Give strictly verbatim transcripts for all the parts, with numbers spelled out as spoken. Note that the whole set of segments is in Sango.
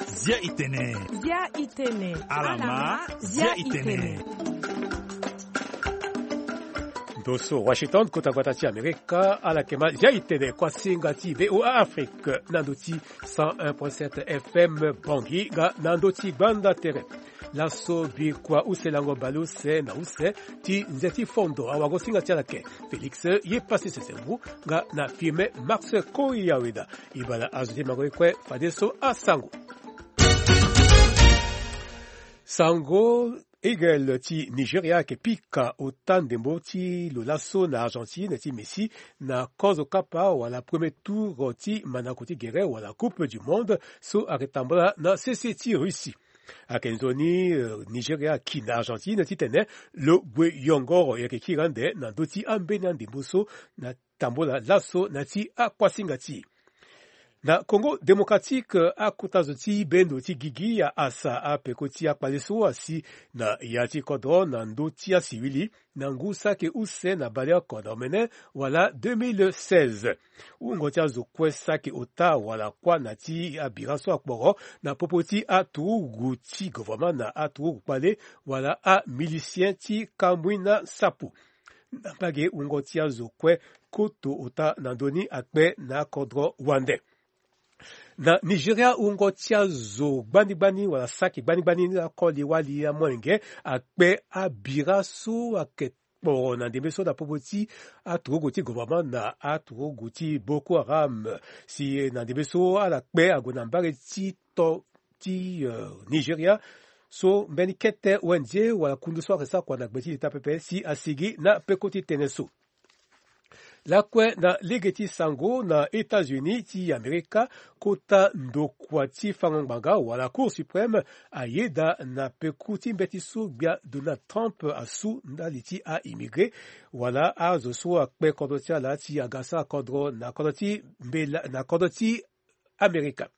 Zia itene. Zia itene. Alama, zia itene. Ndo so Washington, kota gbata ti Amerika, ala yeke ma zia itene kuasinga ti V O A Afrique na ndo ti cent un point sept F M Bangui nga na ndo ti gbanda tere. Laso bikua use lango baleuse na use ti nze ti fondo awagosinga ti ala yeke Félix ye pasi sesembu nga na firme Max Koyaweda. Ibala azo ti mango ye kue fadeso asango. Sango Eagle ti Nigeria ayeke pika ota ndembo ti lo laso na Argentine ti Messi na kozo kapa wala premier tour ti mandako ti gere wala Coupe du Monde so ayeke tambula na sese ti Russie. Ayeke nzoni, eh, Nigeria aki na Argentine titene lo gue yongoro, e yeke kiri ande na ndö ti ambeni andembo so na tambula laso na ya ti akuasinga ti e. Na Congo Démocratique, akota zo ti bendo ti gigi aasa apeko ti akpale so asi na ya ti kodro na ndö ti asiwili na ngu saki use na baleoko na omene wala deux mille seize. Wungo ti azo kue saki ota wala kuâ na ti abira so akporo na popo ti aturugu ti gouvernement na aturugu kpale wala amilicien ti kamui na sapo. Na mbage wungo ti azo kue koto ota na ndö ni akpe na akodro wande. Na Nigeria, wungo ti azo gbani gbani wala saki gbani gbani ni akoli wali amolenge akpe abira so ayeke kporo na ndembe so na popo ti aturugu ti gouvernement na aturugu ti Boko Haram. Si na ndembe so ala kpe ague na mbage ti to ti, eh, Nigeria so mbeni kete O N G wala kundu so ayeke sara kua na gbe ti leta pepe si asigi na peko ti tënë so. Lakue na lege ti sango na États-Unis ti Amerika, kota ndokua ti fango ngbanga wala Cour suprême ayeda na peko ti mbeti so gbia Donald Trump asu ndali ti a-immigré wala azo so akpe kodro ti ala ti aga sara kodro na kodro ti mbela na kodro ti Amerika.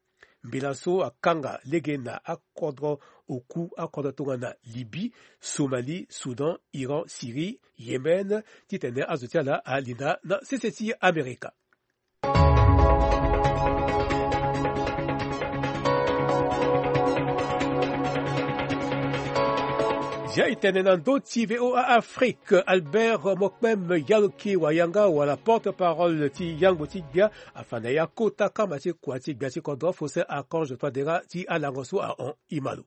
Mbela so akanga lege na akodro oku, akodro tongana Libye, Somalie, Soudan, Iran, Syrie, Yémen, titene azo ti ala alinda na sese ti Amerika. Zia itene na ndö ti V O A Afrique, Albert Mokpem Yaloki Wayanga wala porte-parole ti yangbo ti gbia afa na ya kota kama ti kua ti gbia ti kodro Faustin Archange Touadéra ti alango so ahon e ma lo.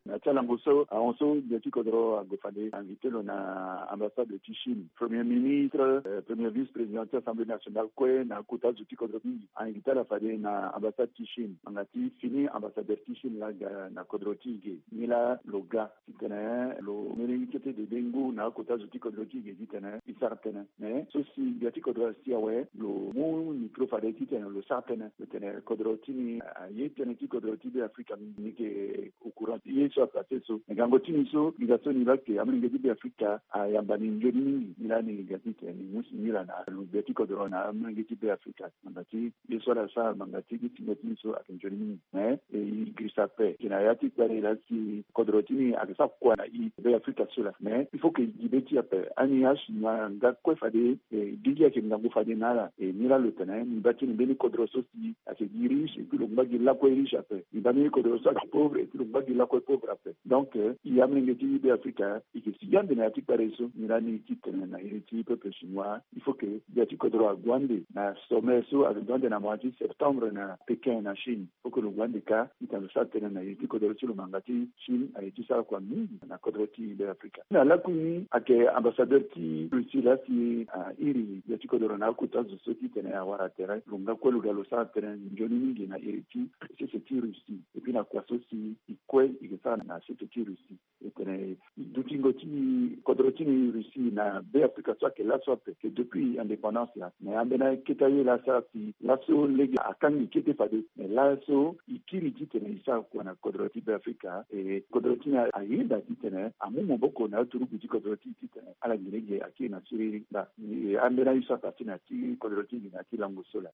Na ti alango so ahon so gbia ti kodro ague fade invité lo na ambassade ti Chine, premier ministre, euh, premier vice-président ti Assemblée nationale kue na akota zo ti kodro mingi a-invité ala fade na ambassade ti Chine. Ngbanga ti fini ambassadeur ti Chine laa aga na kodro ti e ge, ni laa lo ga titene lo mu lege kete dede ngu na akota zo ti kodro ti e ge titene e sara tënë. Mais so si gbia ti kodro asi awe, lo mu micro fade titene lo sara tënë, lo tene kodro ti ni aye tënë ti kodro ti Beafrika mingi, ni yeke au courant ti ye so apasse so. Mais gango ti ni so, ni ga so ni baa ke amolenge ti Beafrika ayamba ni nzoni mingi. Ni laa ni ga titene ni mu singi laa na lo gbia ti kodro na amolenge ti Beafrika. Ngbanga ti ye so ala sara ngbanga ti gi tingo ti ni so ayeke nzoni mingi. Mais e girisa ape. Gi na ya ti kpale laa si kodro ti ni ayeke sara kua na e Beafrika so laa. Mais il faut que gi be ti e ape. Ani achinois nga kue fade, e, gigi ayeke ngangu fade na ala. E, ni laa lo tene ni baa ti ni mbeni kodro so si ayeke gi riche et puis lo ngba gi lakue riche ape. Ni baa mbeni kodro so ayeke pauvre et puis lo ngba gi lakue pauvre ape. Donc, euh, e amolenge ti Beafrika, e yeke si gi ande na ya ti kpale so. Ni laa ni ti tene na iri ti peuple chinois, il faut que gbia ti kodro ague ande na sommet so ayeke gue ande na mois ti septembre na Pékin na Chine. Faut que lo gue ande kâ, titene lo sara tënë na iri ti kodro ti lo. Ngbanga ti Chine aye ti sara kua mingi na kodro ti Beafrika. Na lakui ni ayeke ambassadeur ti Russie laa si airi gbia ti kodro na akota zo so titene awara tere. Lo nga kue lo ga lo sara tënë nzoni mingi na iri ti sese ti Russie. Et puis na kua so si e kue e yeke sara na sese ti Russie. E tene dutingo ti kodro ti ni Russie na Beafrika so ayeke laso ape, ke depuis indépendance ya. Mais ambeni akete aye laa asara si laso lege akangi kete fade. Mais laso e kiri titene e sara kua na kodro ti Beafrika. E kodro ti ni ayeda titene amu maboko na aturugu ti kodro ti e titene ala gi lege akiri na siriri. Nda e ambeni aye so apasse na ya ti kodro ti ni na ya ti lango so laa.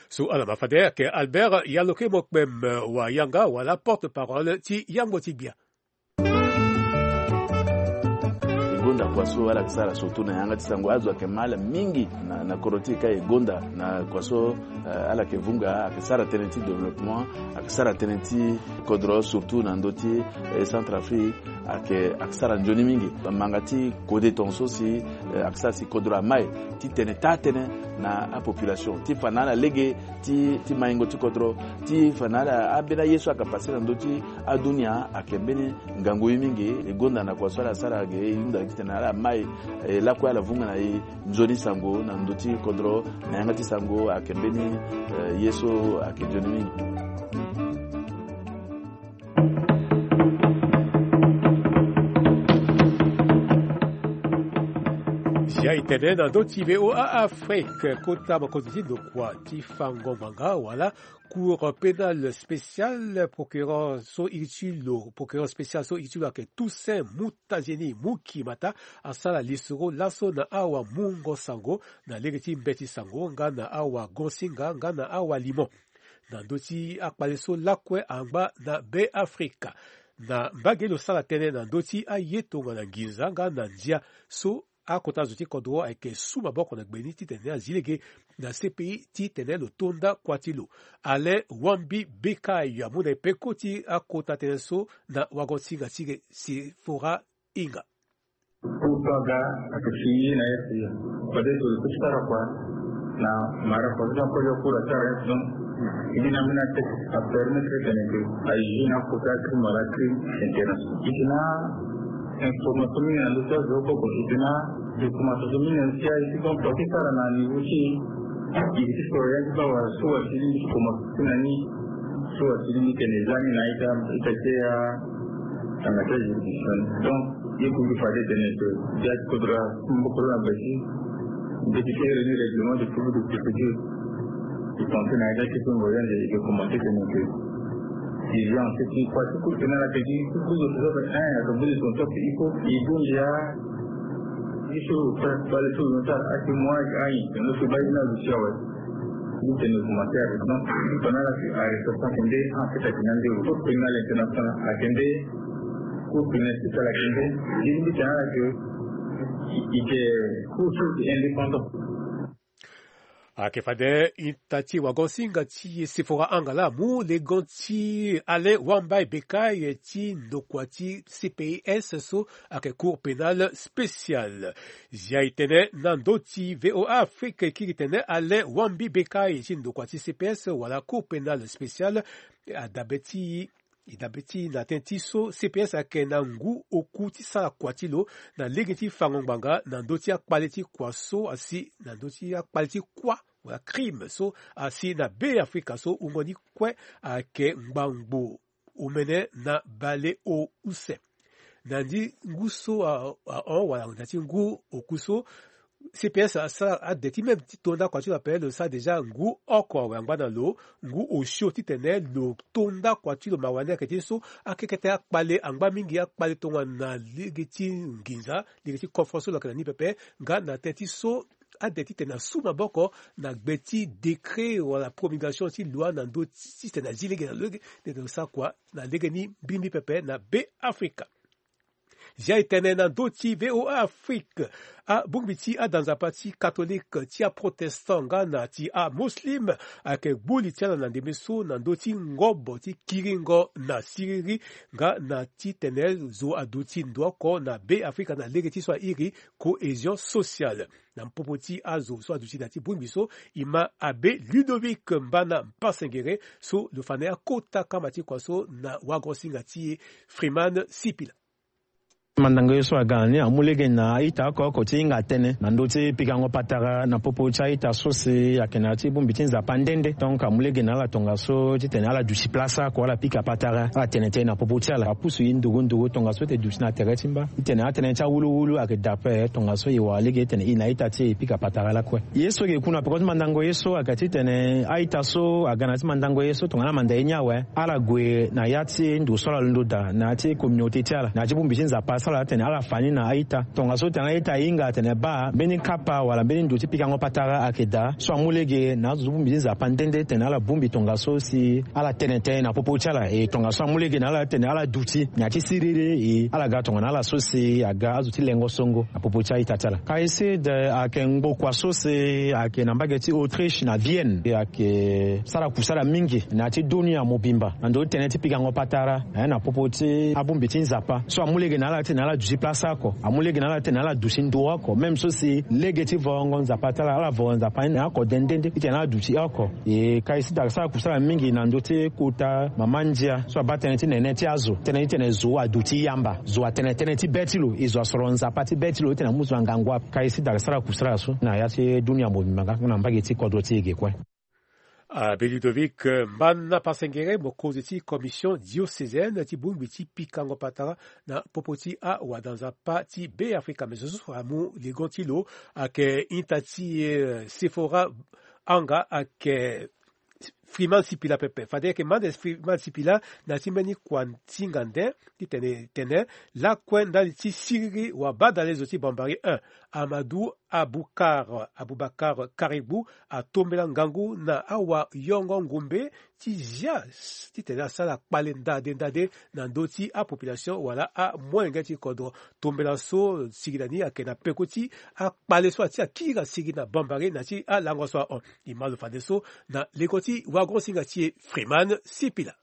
So ala ma fade ayeke Albert Yaloke Mokpem Wayanga wala porte-parole ti yangbo ti gbia. E gonda Kua so ala yeke sara surtout na yanga ti sango, azo ayeke ma ala mingi na, na kodro ti e ka e gonda na kua so, eh, ala yeke vunga, ayeke sara tënë ti développement, ayeke sara tënë ti kodro surtout na ndö ti, eh, Centrafrique, ayeke, ayeke sara nzoni mingi. Manga ti kode tongaso si, eh, ayeke sara si kodro amai titene taa tënë na apopulation ti fa na ala lege ti, ti maingo ti kodro, ti fa na ala ambeni aye so ayeke pase na ndö ti adunia ayeke mbeni ngangu ye mingi. E gonda na kua so ala sara ge, e hunda titene ala mai, eh, lakue ala vunga na e nzoni sango na ndö ti kodro, na yanga ti sango ayeke mbeni, eh, ye so ayeke nzoni mingi. Zia e tene na ndö ti V O A Afrique, kota mokonzi ti ndokua ti fango ngbanga wala Cour pénale spéciale, procureur so iri ti lo, procureur spécial so iri ti lo ayeke Toussaint Moutazeni Mukimata, asara lisoro laso na awamungo sango na lege ti mbeti sango nga na awagonsinga nga na awalimo na ndö ti akpale so lakue angba na Be Afrika. Na mbage lo sara tënë na ndö ti aye tongana nginza nga na ndia so akota zo ti kodro ayeke su maboko na gbe ni titene azi lege na C P I titene lo tonda kua ti lo. Alain Wambi Bekayo amu na e peko ti akota tënë so na wagonsinga ti e Sefora Inga. Pourquoi ga ayeke fini na ye si fade tolo ti sara kua na mara kua ti akoli akura ti arrêt donc. Indi na mbeni atexte apermettre tene ke ajuge na kota crime wala crime international. Eke na information mingi na ndö ti azo oko ko, eke na documentation mingi na ndö ti aye ti donc kua ti sara na niveau ti e. Eke ti soro ya ti baa wala so wa ti lingbi ti commencer ti na ni, so wa ti lingbi tene eza ni na ita, ita ti ya. Tanga ti ajuridiction. Donc ye kuzu fade tene ke dia ti kodro ambokolona basi. Député réuni règlement de public de procédure. I pense na ita ti kongo yande i ke commencer tene ke division ti ti kua ti kuzu na la ke ti kuzu ti sobe un ya ke buli ton top il faut i dundi ya. Biso bale so no ta aki moi ayi no so bayi na lucia wa. Ni tene commencer avec donc pendant la arrestation kende en fait akina ndero. Cour pénale internationale akende. Cour pénale spéciale akende. Ni ni tene ala ke i ke cour so indépendant. Ayeke fade ita ti wagonsinga ti Sefora Angala amu legon ti Alain Wambai Bekai ti ndokua ti C P I S so ayeke Cour pénale spéciale. Zia e tene na ndö ti V O A Afrique e kiri tene Alain Wambi Bekai ti ndokua ti C P S wala Cour pénale spéciale adabe ti e dabe ti na tënë ti so C P S ayeke na ngu oku ti sara kua ti lo na lege ti fango ngbanga na ndö ti akpale ti kua so asi na ndö ti akpale ti kuâ wala crime so asi na Be Afrika so wungo ni kue ayeke ngbangbo omene na baleuse. Na ndi ngu so ahon wala na ti ngu oku so C P S asara ade ti même ti to ndakua ti lo ape lo sara déjà ngu oko awe angba na lo ngu osio titene lo to ndakua ti lo mawa ni ayeke ti so akekete akpale angba mingi akpale tongana na lege ti nginza lege ti conférence so lo yeke na ni pepe nga na tënë ti so ade titene asu maboko na gbe ti décret wala promulgation ti loi na ndö titene azi lege na lo lege titene lo sara kua na lege ni mbirimbiri pepe na Be Afrika. Zia e tene na ndö ti V O A Afrique abongbi ti ada nzapa ti katholike ti aprotestant nga na ti amuslim ayeke gbu li ti ala na ndembe so na ndö ti ngobo ti kiringo na siriri nga na titene zo aduti ndo oko na Be Afrika na lege ti so airi cohésion sociale. Na popo ti azo so aduti na ti bongbi so e ma abe Ludovic Mbana Mpasengere so lo fa na ye akota kama ti kua so na wagosinga ti e Freeman Sipila. Mandango ye so aga na ni amu lege na a-ita oko oko ti hinga tënë na ndö ti pikango patara na popo ti a-ita so si ayeke na ya ti bongbi ti Nzapa nde nde. Donc amu lege na ala tongaso titene ala duti place oko ala pika patara ala tene tënë na popo ti ala apusu e nduru nduru tongaso ete duti na tere ti mba titene atënë ti awuluwulu ayeke daa ape tongaso e wara lege titene e na a-ita ti e e pika patara lakue. Ye so e yeke ku na peko ti mandango ye so ayeke titene a-ita so aga na ya ti mandango ye so tongana amanda ye ni awe ala gue na ya ti ndo so ala londo daa na ya ti communauté ti ala na ya ti bongbi ti Nzapa Sara tene ala fa ni na a-ita tongaso tene a-ita ahinga atene baa mbeni kapa wala mbeni ndo ti pikango patara ayeke daa so amu lege na azo ti bongbi ti Nzapa nde nde tene ala bongbi tongaso si ala tene tënë na popo ti ala. E tongaso amu lege na ala tene ala duti na ya ti siriri e ala ga tongana ala so si aga azo ti lengo songo na popo ti a-ita ti ala. Kaï Sud ayeke ngbokua so si ayeke na mbage ti Autriche na Vienne e ayeke sara kusala mingi na ya ti dunia mobimba na ndö ti tënë ti pikango patara, eh, na popo ti abongbi ti Nzapa so amu lege na ala titene ala duti place oko, amu lege na ala titene ala duti ndo oko, même so si lege ti vongo Nzapa ti ala, ala vongo Nzapa ni na oko de nde nde titene ala duti oko. E Kaï Sud ayeke sara kusala mingi na ndö ti kota mama ndia so abaa tënë ti nene ti azo, tënë ti tene zo aduti yamba, zo atene tënë ti be ti lo, e zo asoro Nzapa ti be ti lo titene amu zo na ngangu ape. Kaï Sud ayeke sara kusala so na ya ti dunia mobimba nga na mbage ti kodro ti e ge kue. Abbé Ludovic, eh, Mbana Pasengere, mokonzi ti commission diocésaine ti bongbi ti pikango patara na popo ti awada Nzapa ti Beafrika. Me zo so amu ligo ti lo ayeke ita ti, eh, Sephora Anga, ayeke Freeman Sipila pepe. Fade ayeke mande Freeman Sipila na ti mbeni kua ti ngande titene tene lakue ndali ti siriri wa badalezo ti Bambari un, Amadou Aboukar, Aboubacar Karibou atombela ngangu na awayongo ngombe ti zia titene asara kpale ndade ndade na ndö ti apopulation wala amolenge ti kodro. Tombela so sigi na ni ayeke na peko ti akpale so atia kiri asigi na Bambari na ti alango so ahon. E ma lo fadeso na leko ti wagosinga ti e Freeman Sipila.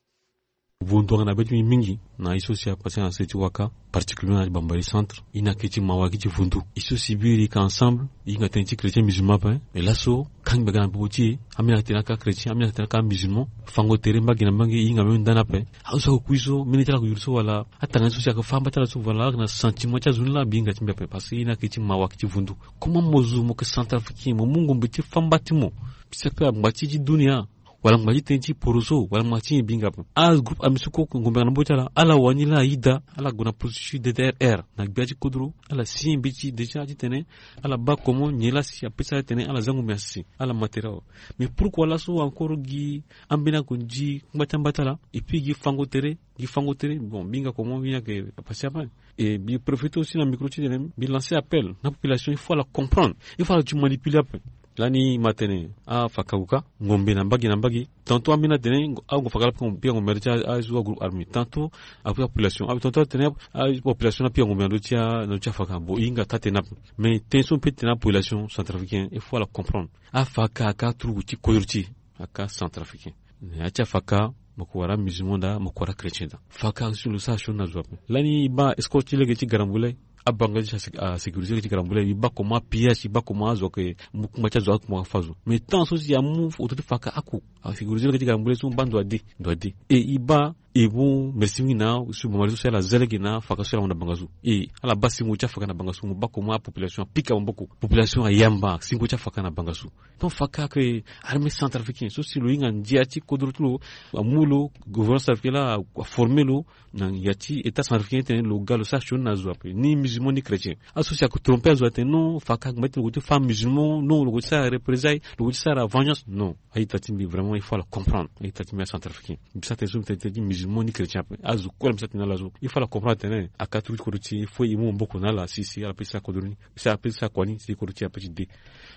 Vundu ayeke na be ti mbi mingi na ye so si apase na se ti waka, particulièrement na Bambari centre. E na ke ti mawa, ke ti vundu. E so si biri e yeke ensemble, e hinga tënë ti chrétien musulman ape. Mais laso kangbi aga na popo ti e, ambeni ayeke tene aka chrétien, ambeni ayeke tene aka musulman. Fango tere mbage na mbage, e hinga même ndani ape. Azo so ayeke kui so, mbeni ti ala ayeke yuru so wala atanga ni so si ayeke fâ mba ti ala so wala ala yeke na sentiment ti azo ni laa, mbi hinga ti mbi ape. Parce que e na ke ti mawa, ke ti vundu. Comment mo zo mo yeke centrafricain, mo mu ngombe ti fâ mba ti mo, ti saka ngba ti ti dunia, wala ngba ti tënë ti poroso, wala ngba ti nyen, mbi hinga ape. Agroupe armé so kue ngombe ayeke na mbage ti ala, ala wani laa ayeda, ala gue na processus D D R R na gbia ti kodro, ala signé mbi ti déjà titene ala baa comment nyen laa si apesa ala titene ala za ngombe na sese, ala ma tere awe. Mais pourquoi laso encore gi ambeni akonzi ngba ti amba ti ala, et puis gi fango tere, gi fango tere, bon, mbi hinga comment mbi hinga ke apase ape. Et mbi profite aussi na micro ti tene mbi lancer appel na population, il faut ala comprendre, il faut ala duti manipuler ape. Lani e ma tene afaka ague kâ ngombe na mbage na mbage. Tantôt ambeni atene ague faka laa, pika ngombe na ndö ti azo agroupe armé. Tantôt apika population, tantôt atene apopulation na pika ngombe na ndö ti a, na ndö ti afaka. Bon, e hinga taa tene ape. Mais tënë so mbi peut ti tene na population centrafricaine, il faut ala comprendre. Afaka aka aturugu ti kodro ti e, aka centrafricain. Na ya ti afaka, mo ko wara musulman daa, mo ko wara chrétien daa. Faka si lo sara sioni na zo ape. Lani e baa escorte ti lege ti Garambulay, abanga ti asécuriser lege ti Garambulay, e baa comment apillage, e baa comment azo ayeke mu kungba ti azo, akungba afâ zo. Mais tant so si amu autorité faka ako asécuriser lege ti Garambulay so, mo baa ndo ade, ndo ade. E e baa e mu merci mingi na so Bambari so si ala za lege na faka so ala mu na bangasu. E ala baa singo ti afaka na bangasu, mo baa comment apopulation apika maboko, population ayamba singo ti afaka na bangasu. Donc faka ayeke armée centrafricaine so si lo hinga ndia ti kodro ti lo, amu lo, gouvernement centrafricain laa aformer lo na ya ti état centrafricain titene lo ga lo sara sioni na zo ape, ni musulman ni chrétien. Aso si ayeke tromper azo atene non, faka ayeke ma ti lo gue ti fâ musulman, non, lo gue ti sara représailles, lo gue ti sara vengeance, non. A-ita ti mbi vraiment il faut ala comprendre. A-ita ti mbi acentrafricain, mbi sara tënë so mbi tene tënë ti musulman ni chrétien ape. Azo kue laa mbi sara tënë na ala so, il faut ala comprendre atene aka turugu ti kodro ti e, il faut e mu maboko na ala si si ala peut ti sara kodro ni, si ala peut ti sara kua ni si kodro ti e apeut ti de.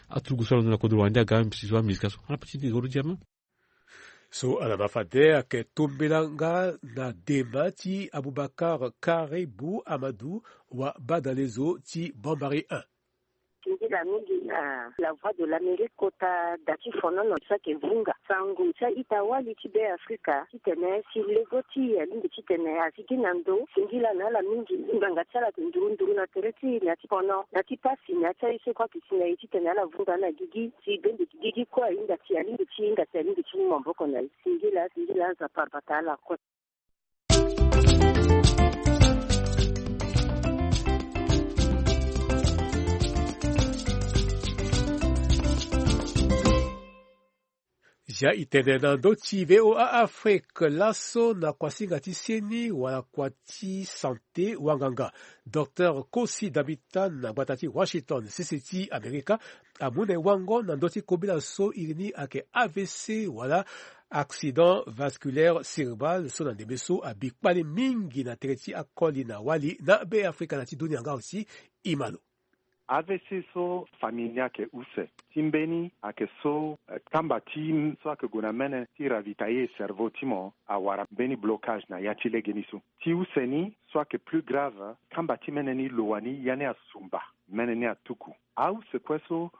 Aturugu so ala ndo na kodro wande aga mbi si so amizika so, ala peut ti de kodro ti e ape. So ala ma fade ayeke tombela nga na dema ti Aboubacar Karibou Amadou, wa badalezo ti Bambari un. Singila mingi na La Voix de l'Amérique kota da ti fonono so ayeke vunga sango ti a-ita wali ti Beafrika titene si lego ti e alingbi titene azigi na ndo. Singila na ala mingi. Ngbanga ti ala ayeke nduru nduru na tere ti e na ya ti fono, na ya ti pasi, na ya ti aye so kue ayeke si na e titene ala vunga na gigi. Si bende gigi kue ahinga ti e, alingbi ti hinga ti e, alingbi ti mu maboko na e. Singila, singila, Nzapa abata ala kue. Ya e tene na ndö ti V O A Afrique laso na kuasinga ti seni wala kua ti sante wanganga, Docteur Kosi Damitan na gbata ti Washington, sese ti Amerika, amu na e wango na ndö ti kobela so iri ni ayeke A V C wala accident vasculaire cérébral so na ndembe so abi kpale mingi na tere ti akoli na wali na Be Afrika na ti dunia nga aussi. E ma lo. A V C so famille ni ayeke use ti mbeni ayeke so, eh, kamba ti so ayeke gue na mene ti ravitailler cerveau ti mo awara mbeni blocage na ya ti legeni so. Ti use ni so ayeke plus grave, kamba ti mene ni lo wani ya ni asumba, mene ni atuku. Ause kue so